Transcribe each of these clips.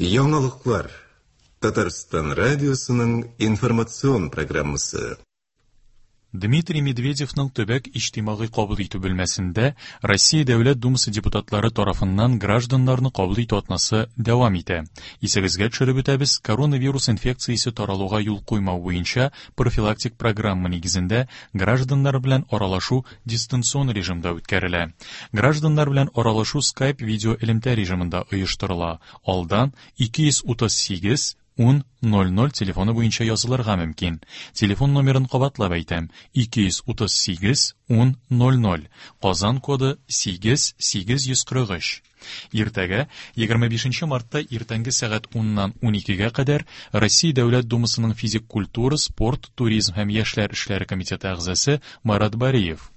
Яңалыклар. Татарстан радиосының информацион программасы. Дмитрий Медведевның төбәк иҗтимагый кабул итү бүлмәсендә Россия Дәүләт Думасы депутатлары тарафыннан гражданнарны кабул итү атнасы дәвам итә. Исегезгә төшереп үтәбез, коронавирус инфекциясе таралуга юл куймау буенча профилактик программа нигезендә гражданнар белән аралашу дистанцион режимда үткәрелә. Гражданнар белән аралашу Skype видеоэлемтә режимында оештырыла. Алдан 238 10 00 телефоны буенча язылырга мөмкин. Телефон номерын кабатлап әйтәм: 238 10 00. Казан коды 8 843. Иртәгә, 25 мартта иртәнге сәгать 10-нан 12-гә кадәр Россия Дәүләт Думасының физик культура, спорт, туризм һәм яшьләр эшләре комитеты әгъзасы Марат Бариев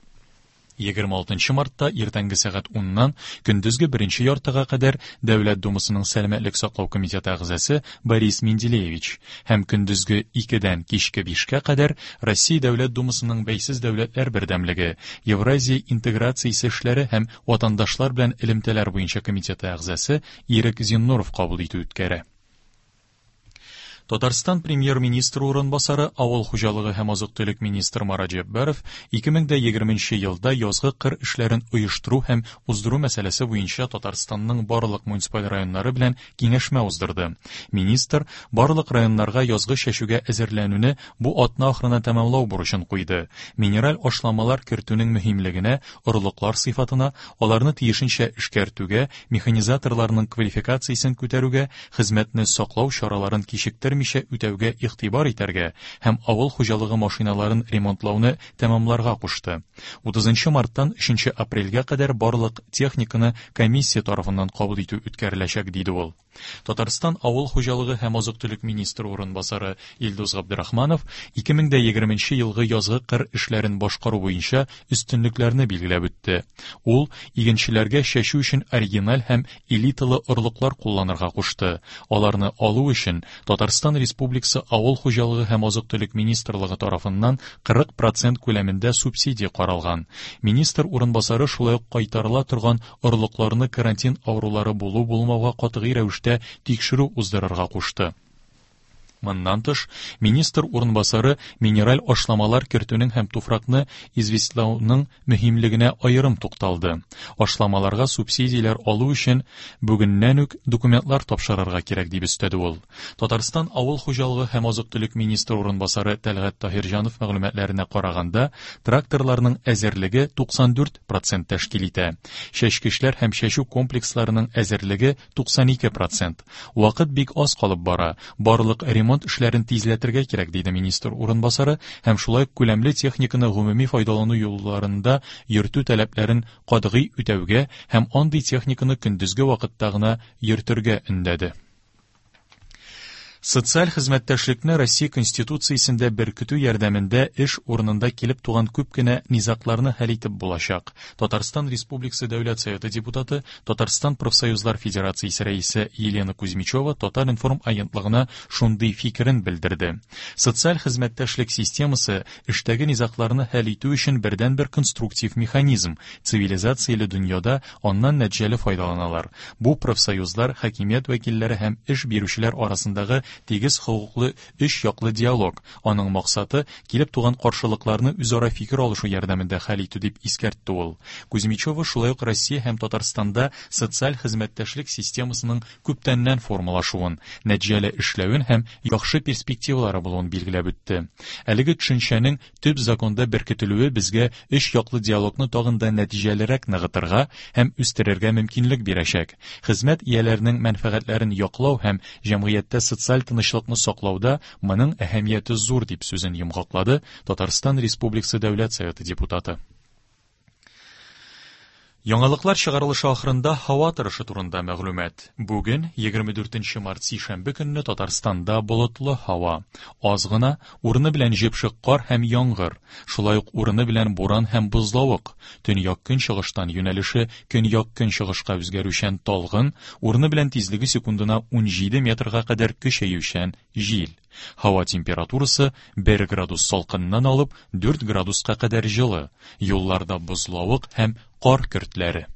26 мартта иртәнге сәгать 10-нан көндезге беренче яртыга кадәр Дәүләт Думасының Сәламәтлек саклау комитеты әгъзасы Борис Менделеевич һәм көндезге 2-дән кичке 5-кә кадәр Россия Дәүләт Думасының Бәйсез дәүләтләр бердәмлеге, Евразия интеграциясе эшләре һәм ватандашлар белән элемтәләр буенча комитеты әгъзасы Ирек Зиннуров кабул итү үткәрә. Татарстан премьер-министры урынбасары, авыл хуҗалыгы һәм азык-төлек министры Марат Җәббаров 2020 елда язгы кыр эшләрен оештыру һәм уздыру мәсьәләсе буенча Татарстанның барлык муниципаль районнары белән киңәшмә уздырды. Министр барлык районнарга язгы чәчүгә әзерләнүне бу атна ахырына тәмамлау бурычын куйды. Минераль ашламалар кертүнең мөһимлегенә, орлыклар сыйфатына, аларны тиешенчә эшкәртүгә, механизаторларның квалификациясен күтәрүгә, хезмәтне саклау чараларын кичектермичә үтәүгә игътибар итәргә һәм авыл хуҗалыгы машиналарын ремонтлауны тәмамларга кушты. 30 марттан 3 апрельгә кадәр барлык техниканы комиссия тарафыннан кабул итү үткәреләчәк, диде ул. Татарстан авыл хуҗалыгы һәм азык-төлек министры урынбасары Илдус Габдрахманов 2020 елгы язгы кыр эшләрен башкару буенча өстенлекләрне билгеләп үтте. Ул игенчеләргә чәчү өчен оригиналь һәм элиталы орлыклар кулланырга кушты. Аларны алу өчен Татарстан Республикасы Авыл хуҗалыгы һәм азык-төлек министрлыгы тарафыннан 40 процент күләмендә субсидия каралган. Министр урынбасары шулай ук кайтарыла торган орлыкларны карантин авырулары булу-булмауга катгый рәвештә тикшерү уздырырга кушты. Моннан тыш, министр урынбасары минераль ашламалар кертүнең һәм туфракны известьлауның мөһимлегенә аерым тукталды. Ашламаларга субсидияләр алу өчен бүгеннән үк документлар тапшырырга кирәк, дип өстәде ул. Татарстан авыл хуҗалыгы һәм азык-төлек министры урынбасары Тәлгать Таһирҗанов мәгълүматларына караганда, тракторларның әзерлеге 94 процент тәшкил итә. Чәчкечләр һәм чәчү комплексларының әзерлеге 92 процент. Вакыт бик аз калып бара, барлык ремонт эшләрен тизләтергә кирәк, диде министр урынбасары һәм шулай ук күләмле техниканы гомуми файдалану юлларында йөртү таләпләрен катгый үтәүгә һәм андый техниканы көндезге вакытта гына йөртергә өндәде. Социаль хезмәттәшлекне Россия Конституциясендә беркетү ярдәмендә эш урынында килеп туган күп кенә низагларны хәл итеп булачак. Татарстан Республикасы Дәүләт Советы депутаты, Татарстан Профсоюзлар Федерациясе рәисе Елена Кузьмичева Татар-информ агентлыгына шундый фикерен белдерде. Социаль хезмәттәшлек системасы эштәге низагларны хәл итү өчен бердәнбер конструктив механизм, цивилизацияле дөньяда аннан нәтиҗәле файдаланалар. Бу профсоюзлар, хакимият вәкилләре һәм эш бирүчеләр арасындагы тигез хокуклы өч яклы диалог. Аның максаты килеп туган каршылыкларны үзара фикер алышу ярдәмендә хәл итү, дип искәртте ул. Кузьмичева шулай ук Россия һәм Татарстанда социаль хезмәттәшлек системасының күптәннән формалашуын, нәтиҗәле эшләвен һәм яхшы перспективалары булуын билгеләп үтте. Әлеге төшенчәнең төп законда беркетелүе безгә өч яклы диалогны тагын да нәтиҗәлерәк ныгытырга һәм үстерергә мөмкинлек бирәчәк. Хезмәт ияләренең мәнфәгатьләрен яклау һәм җәмгыятьтә социаль тынычлыкны саклауда моның әһәмияте зур, дип сүзен йомгаклады Татарстан Республикасы Дәүләт Советы депутаты. Яңалыклар чыгарылышы ахырында һава торышы турында мәгълүмат. Бүген, 24 март сишәмбе көнне Татарстанда болытлы һава. Аз гына, урыны белән җепшек кар һәм яңгыр, шулай ук урыны белән буран һәм бозлавык. Төньяк-көнчыгыштан юнәлеше көньяк-көнчыгышка үзгәрүчән талгын, урыны белән тизлеге секундына 17 метрга кадәр көчәючән җил. Һава температурасы 1 градус салкыннан алып 4 градуска кадәр җылы. Юлларда бозлавык һәм кар көртләре.